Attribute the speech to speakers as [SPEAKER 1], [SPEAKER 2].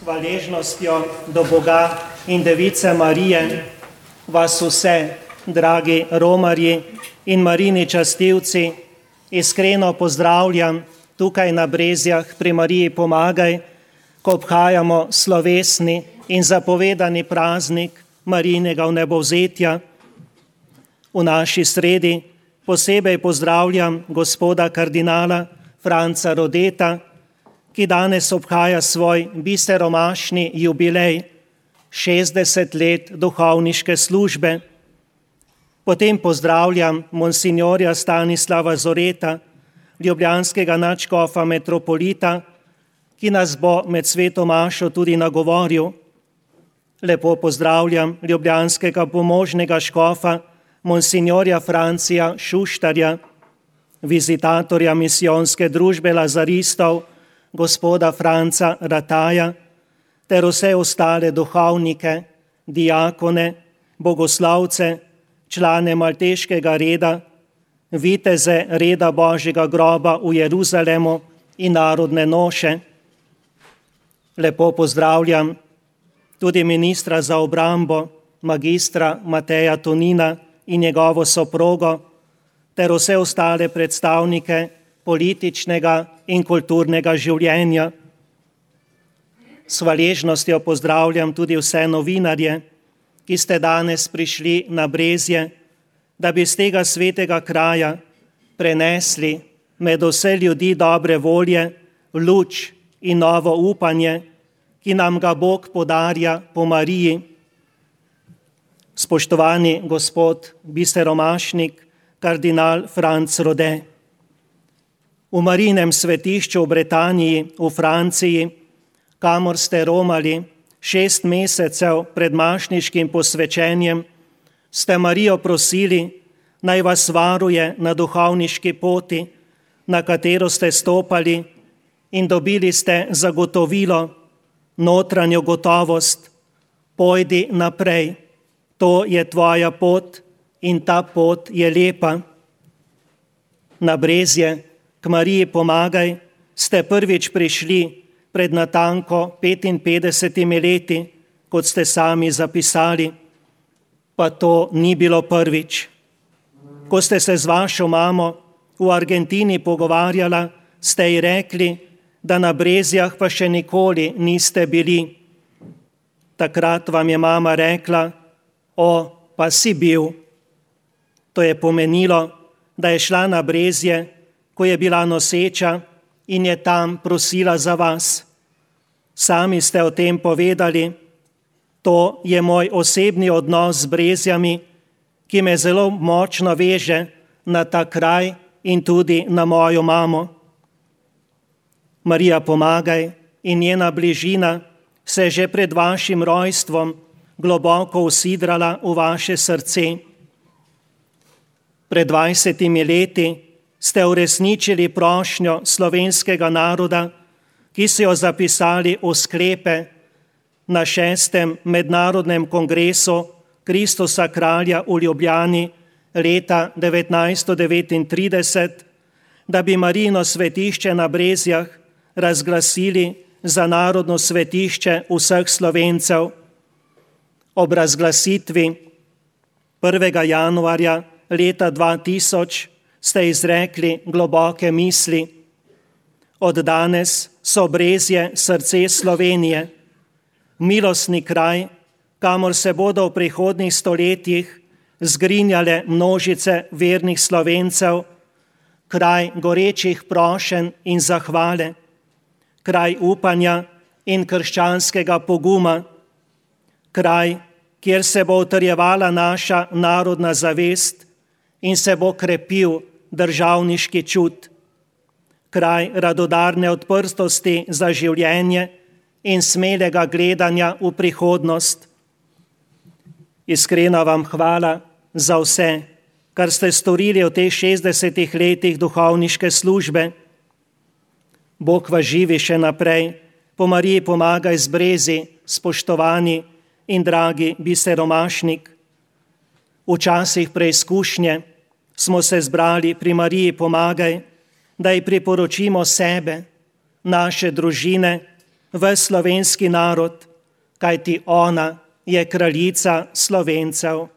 [SPEAKER 1] hvaležnostjo do Boga in Device Marije vas vse, dragi romarji in Marini častilci, iskreno pozdravljam tukaj na Brezjah pri Mariji Pomagaj, ko obhajamo slovesni in zapovedani praznik Marijinega vnebovzetja. V naši sredi posebej pozdravljam gospoda kardinala Franca Rodeta, ki danes obhaja svoj biseromašni jubilej, 60 let duhovniške službe. Potem pozdravljam monsinjorja Stanislava Zoreta, ljubljanskega nadškofa metropolita, ki nas bo med sveto mašo tudi nagovoril. Lepo pozdravljam ljubljanskega pomožnega škofa, monsinjorja Francija Šuštarja, vizitatorja misijonske družbe lazaristov, gospoda Franca Rataja, ter vse ostale duhovnike, diakone, bogoslavce, člane malteškega reda, viteze reda Božjega groba v Jeruzalemu in narodne noše. Lepo pozdravljam tudi ministra za obrambo, magistra Mateja Tonina in njegovo soprogo, ter vse ostale predstavnike političnega in kulturnega življenja. S hvaležnostjo pozdravljam tudi vse novinarje, ki ste danes prišli na Brezje, da bi z tega svetega kraja prenesli med vse ljudi dobre volje, luč in novo upanje, ki nam ga Bog podarja po Mariji. Spoštovani gospod biseromašnik, kardinal Franc Rode, v Marijinem svetišču v Bretaniji, v Franciji, kamor ste romali 6 mesecev pred mašniškim posvečenjem, ste Marijo prosili, naj vas varuje na duhovniški poti, na katero ste stopali, in dobili ste zagotovilo, notranjo gotovost: pojdi naprej, to je tvoja pot in ta pot je lepa. Na Brezje k Mariji Pomagaj ste prvič prišli pred natanko 55 leti, kot ste sami zapisali, pa to ni bilo prvič. Ko ste se z vašo mamo v Argentini pogovarjala, ste ji rekli, da na Brezjah pa še nikoli niste bili. Takrat vam je mama rekla: o, pa si bil. To je pomenilo, da je šla na Brezje, ko je bila noseča, in je tam prosila za vas. Sami ste o tem povedali: to je moj osebni odnos z Brezjami, ki me zelo močno veže na ta kraj in tudi na mojo mamo. Marija Pomagaj in njena bližina se že pred vašim rojstvom globoko usidrala v vaše srce. Pred 20 leti ste uresničili prošnjo slovenskega naroda, ki so jo zapisali v sklepe na 6. mednarodnem kongresu Kristusa kralja v Ljubljani leta 1939, da bi Marijino svetišče na Brezjah razglasili za narodno svetišče vseh Slovencev. Ob razglasitvi 1. januarja leta 2000 ste izrekli globoke misli: od danes so Brezje srce Slovenije, milostni kraj, kamor se bodo v prihodnjih stoletjih zgrinjale množice vernih Slovencev, kraj gorečih prošenj in zahvale, kraj upanja in krščanskega poguma, kraj, kjer se bo utrjevala naša narodna zavest in se bo krepil državniški čut, kraj radodarne odprtosti za življenje in smelega gledanja v prihodnost. Iskrena vam hvala za vse, kar ste storili v teh 60 letih duhovniške službe. Bog vas živi še naprej, po Mariji Pomagaj z Brezi, spoštovani in dragi biseromašnik. V časih preizkušnje smo se zbrali pri Mariji Pomagaj, da ji priporočimo sebe, naše družine ves slovenski narod, kajti ona je kraljica Slovencev.